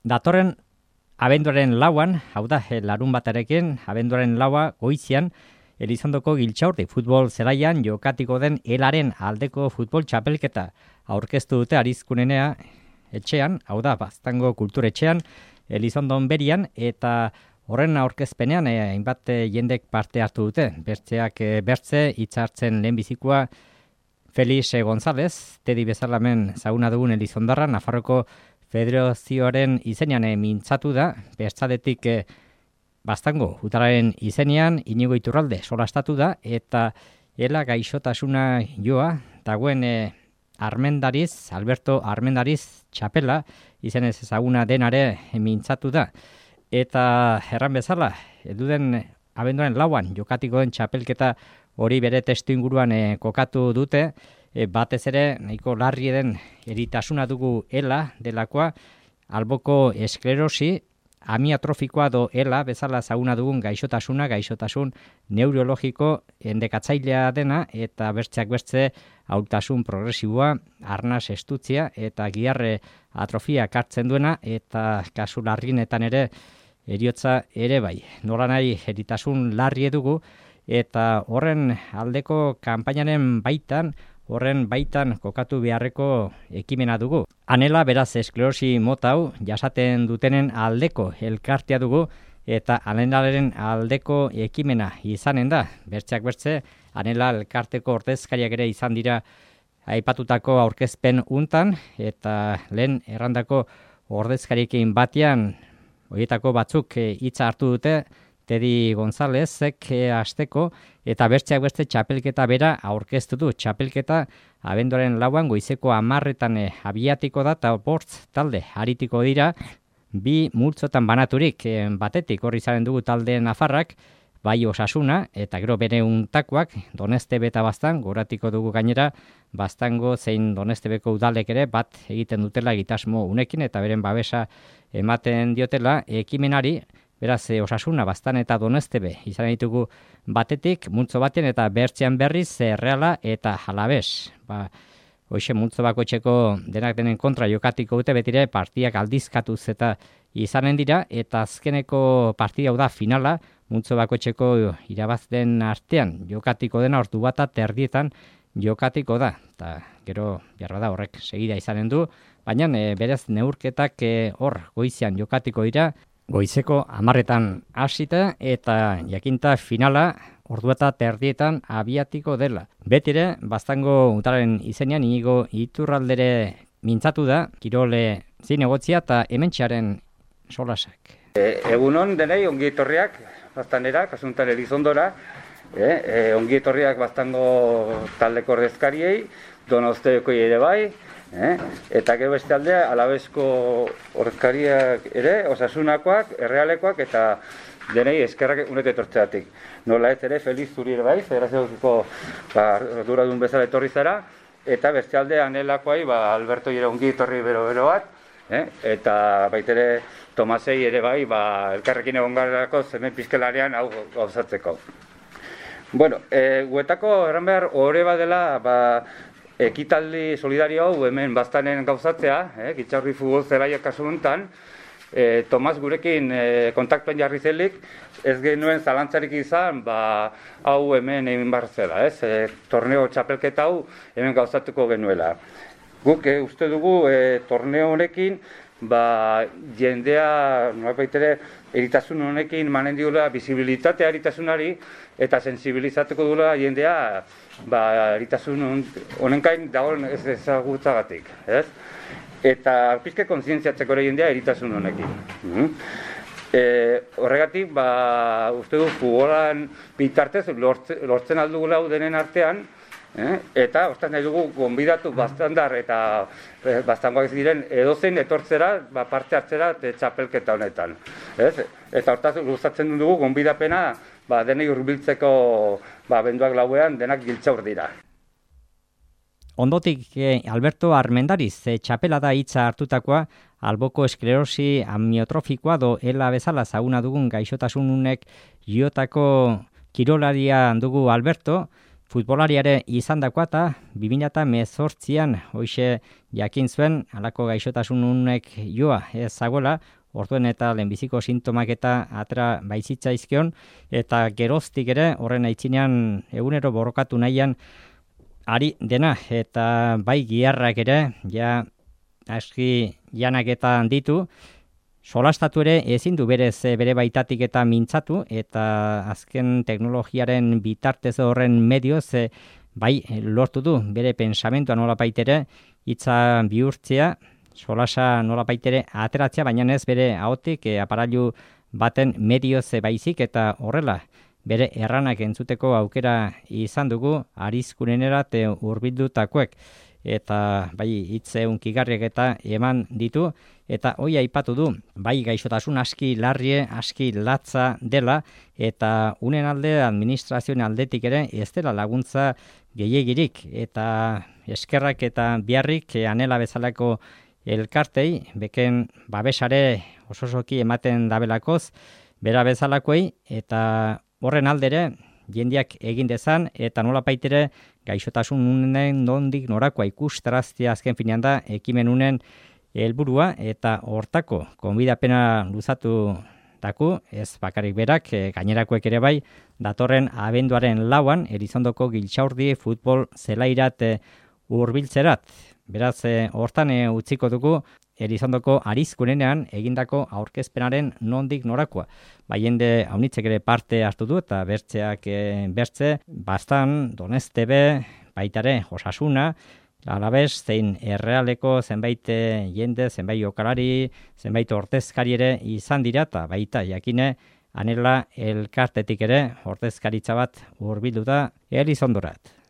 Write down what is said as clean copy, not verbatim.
Datorren abenduaren lauan, hau da, larun batarekin, abenduaren laua goizian, Elizondoko Giltxaurdi futbol zelaian jokatiko den elaren aldeko futbol txapelketa aurkeztu dute Arizkunenea etxean, hau da, Baztango kulturetxean, Elizondon berian, eta horren aurkezpenean hainbat jendek parte hartu dute. Bertzeak bertze, hitzartzen lehenbizikoa Felix González, Tedi bezalamen zaguna dugun Elizondarra, Nafarroko Federazioaren izenean mintzatu da, bertzadetik Baztango utararen izenean Inigo Iturralde solastatu da, eta ela gaixotasuna joa, dagoen Armendariz, Alberto Armendariz txapela, izenez ezaguna denare mintzatu da. Eta erran bezala, eduden abenduaren lauan jokatiko den txapelketa hori bere testu inguruan kokatu dute, batez ere nahiko larri den eritasuna dugu ela delakoa, alboko esklerosi, amiatrofikoa do ela bezala zaguna dugun gaixotasun neurologiko endekatzailea dena, eta bertzeak bertze hautasun progresiboa, arnas estutzia eta giarre atrofia kartzen duena, eta kasu larrienetan ere heriotza ere bai. Nola nahi eritasun larri dugu, eta horren aldeko kanpainaren baitan kokatu beharreko ekimena dugu. Anela beraz esklerosi mota hau jasaten dutenen aldeko elkartea dugu, eta anelaren aldeko ekimena izanen da. Bertzeak bertze, anela elkarteko ordezkariak ere izan dira aipatutako aurkezpen untan, eta lehen errandako ordezkariekin batean horietako batzuk hitza hartu dute, Tedi Gonzálezek hasteko, eta bertzeak beste txapelketa bera aurkeztu du. Txapelketa abenduaren lauan goizeko 10:00 abiatiko da, eta bortz talde aritiko dira, bi multzotan banaturik, batetik horri zaren dugu talde Nafarrak, bai Osasuna, eta gero bere untakoak, Donestebe eta Baztan, goratiko dugu gainera, Baztango zein Donestebeko udalek ere bat egiten dutela egitasmo unekin, eta beren babesa ematen diotela ekimenari. Beraz, Osasuna, Baztan eta Donestebe izan ditugu batetik, multzo batean eta bertzean berriz Reala eta Alavés. Hoxe multzo bakoitzeko denak denen kontra jokatiko dute, betire partidak aldizkatuz eta izanen dira, eta azkeneko partida hau da finala, multzo bakoitzeko irabazten artean jokatiko dena ordu bata terdietan jokatiko da. Eta gero jarra da horrek segida izanen du, baina berez neurketak hor goizian jokatiko dira, goizeko 10:00 hasita, eta jakinta finala ordu eta terdietan abiatiko dela. Betire, Baztango utararen izenean Inigo Iturraldere mintzatu da, kirole zinegotzia eta hementxearen solasak. Egunon denei ongi etorriak Baztanera, kasuntan Elizondora, ongi etorriak Baztango taldeko ordezkariei, Donostebekoi ere bai, eta gero beste aldea Alabesko ordezkariak ere, Osasunakoak, Errealekoak, eta denei eskerrak unet etortzeatik. Nola ez ere, Feliz zuri ere bai, federazioko arduradun bezala etorri zara, eta beste aldea Anelakoai, Alberto ere ongi etorri bero bat, eta baitere Tomasei ere bai, elkarrekin egon garrako zemen pizkelarean hau gauzatzeko. Bueno, guetako erran behar horre badela, ekitaldi solidario hau hemen Baztanen gauzatzea, Giltxaurdi futbol zelaia kasu honetan, Tomas gurekin kontaktuen jarri zelik, ez genuen zalantzarik izan, hau hemen egin behar zela, torneo txapelketa hau hemen gauzatuko genuela. Guk uste dugu torneo honekin, jendea, nolabaitere, eritasun honekin manen diula bizibilitatea eritasunari, eta sensibilizatuko duela jendea eritasun honenkain dagoen ez ezagutzagatik, eta pizke kontzientziatzeko ere jendea eritasun honekin. Horregatik, uste du futbolan bitartez lortzen aldugula denen artean, eta hortaz nahi dugu gonbidatu Baztandar eta Baztangoak diren edozein etortzera, parte hartzera txapelketa honetan. Eta hortaz luzatzen dugu gonbidapena denei hurbiltzeko abenduak lauean denak Giltxaur dira. Ondotik Alberto Armendariz txapela da hitza hartutakoa, alboko esklerosi amiotrofikoa do ela bezala zaguna dugun gaixotasununek jotako kirolaria dugu Alberto, Futbolariare izandakoa eta 2018an hoize jakin zuen halako gaixotasunek joa ez zagoela, orduen eta lehenbiziko sintomak eta atera baizitzaizkion, eta geroztik ere horren aitzinean egunero borrokatu nahian ari dena, eta bai giharrak ere, ja aski janak eta ditu, solastatu ere ezin du berez bere baitatik eta mintzatu, eta azken teknologiaren bitartez horren medioz bai lortu du bere pensamentua nolapaitere hitza bihurtzea, solasa nolapaitere ateratzea, baina ez bere ahotik aparailu baten medioz baizik, eta horrela bere erranak entzuteko aukera izan dugu arizkunenerat hurbildutakoek, eta bai hitz hunkigarriak eta eman ditu, eta hoi aipatu du, bai gaixotasun aski larrie, aski latza dela, eta unen alde administrazioen aldetik ere ez dela laguntza gehiegirik, eta eskerrak eta biharrik anela bezalako elkartei, beken babesare ososoki ematen dabelakoz, bera bezalakoei, eta horren aldere, jendeak egin dezan, eta nolapaitere gaixotasunen nondik norakoa ikustaraztea azken finean da ekimenunen helburua, eta hortako konbidapena luzatu daku, ez bakarrik berak, gainerakoek ere bai, datorren abenduaren 4an Elizondoko Giltxaurdi futbol zelairat hurbiltzerat. Beraz, hortan utziko dugu Elizondoko arizkunenean egindako aurkezpenaren nondik norakoa. Bai jende haunitzek ere parte hartu du eta bertzeak bertze, Bastan, Donestebe, baitare Osasuna, Alabez, zein Errealeko zenbait jende, zenbait jokalari, zenbait ordezkari ere izan dira, eta baita jakine anela elkartetik ere ordezkaritza bat hurbildu da Elizondorat.